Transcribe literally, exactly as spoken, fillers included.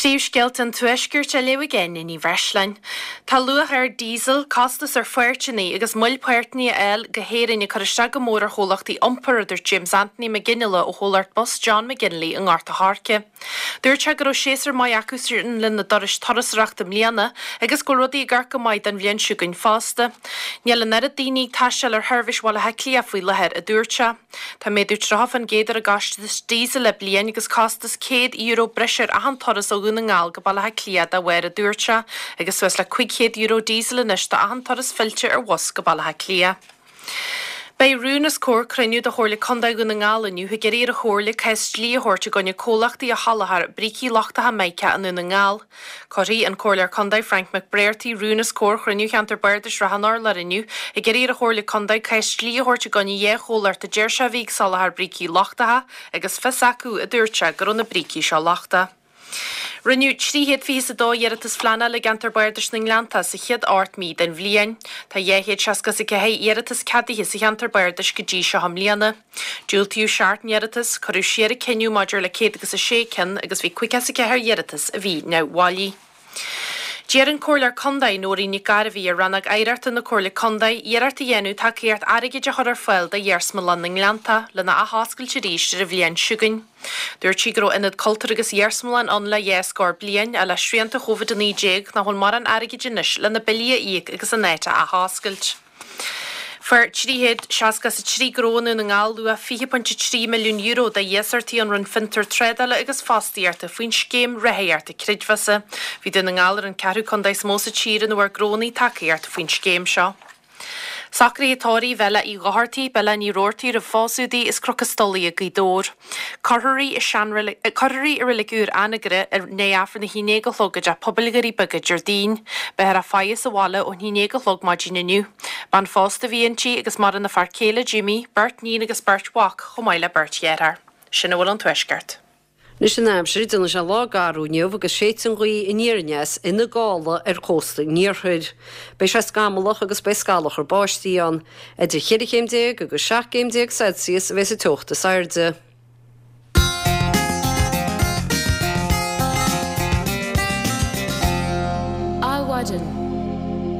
Príomhscéalta an Tuaiscirt á léamh ag Áine Ní Bhreisleáin. Tá luach ard díosail, costas ar pháirteanna agus moill páirteanna a fháil go hÉirinn ag cur isteach go mór ar chomhlachtaí iompair, a dúirt James Anthony Mac Fhionnghaile ó chomhlacht bus John McGinley i nGort a' Choirce. Dúirt sé go raibh séasúr maith acusan lena dturais turasóireachta i mbliana agus go bhfuil rudaí ag amharc go maith don bhliain seo chugainn fosta. Níl an oiread daoine ag taisteal ar sheirbhís Bhaile Átha Cliath faoi láthair, a dúirt sé. Tá méadú tríocha faoin gcéad ar an gcostas díosail le bliain agus costas céad euro breise ar achan turas ó Dhún na nGall go Baile Átha Cliath dá bharr, a dúirt sé, agus suas le cúig chéad euro díosail anois do achan turas fillte ar bhus go Baile Átha Cliath. Beidh rún os comhair cruinniú de Chomhairle Contae Dhún na nGall inniu ag iarraidh ar an Chomhairle cás dlí a thabhairt i gcoinne comhlachtaí a sholáthair brící lochtacha mica i nDún na nGall. Cuirfidh an Comhairleoir Contae Frank McBrearty rún os comhair chruinniú Cheantar Bardais Ráth an Urláir inniu ag iarraidh ar an Chomhairle Contae cás dlí a thabhairt i gcoinne dhá chomhlacht a deir sé a bhí ag soláthar brící lochtacha agus fios acu, a dúirt sé, go raibh na brící seo lochtach. Rinneadh trí chéad fiche is a dó iarratas phleanála i gceantar Bardais na nGleannta sa chéad ocht mí den bhliain. Tá dhá chéad seasca is a ceathair iarratas ceadaithe sa cheantar bardais go dtí seo i mbliana. Diúltaíodh seacht n-iarratas, cuireadh siar an cinneadh maidir le céad agus a sé ceann agus bhí caoga is a ceathair iarratas a bhí neamhbhailí. D'iarr an Comhairleoir Contae, Nóirín Nic Gairbhí, ar Rannóg Oidhreachta na Comhairle Contae iarracht a dhéanamh tacaíocht airgid a chur ar fáil do Iarsmalann na nGleannta lena athoscailt arís ar an bhliain seo chugainn. Dúirt sí go raibh ionad cultúir agus iarsmalann ann le dhá scór bliain, ach le srianta Covid a naoi déag nach bhfuil mórán airgid anois le na billí a íoc agus an áit a athoscailt. Fuair trí chéad seasca is a trí gnó i nDún na nGall luach fiche pointe trí milliún euro de iasachtaí ón Roinn Fiontar, Trádála agus Fostaíochta faoin Scéim Ráthaíochta Creidmheasa. Bhí Dún na nGall ar an ceathrú contae is mó sa tír ina bhfuair gnónna tacaíocht faoin scéim seo. Socruithe tórraimh Bhella Uí Dhochartaigh, Bella Ní Robhartaigh roimh phósadh di as Cnoc an Stolaigh i Gaoth Dobhair. Cuirfear í i seanreilig, cuirfear í i Reilig Úr Anagaire i ndiaidh Aifreann a haon déag a chlog i dTeach Pobail Dhoirí Beaga Déardaoin. Beifear á faire sa bhaile ón haon déag a chlog maidin inniu. Bean phósta a bhí inti agus maireann a fear céile Jimmy, beirt níon agus beirt mhac, chomh maith le beirt dheartháir. Sin a bhfuil ón Tuaisceart. Anois an aimsir, déanfaidh sé lá garbh inniu agus séidfidh an ghaoth aniar aneas ina gála ar chósta an iarthair. Beidh sé scamallach agus beidh scalachar báistí ann. Idir cheithre chéim déag agus seacht gcéim déag Celsius a bheas an teocht is airde. Adhmhaidin.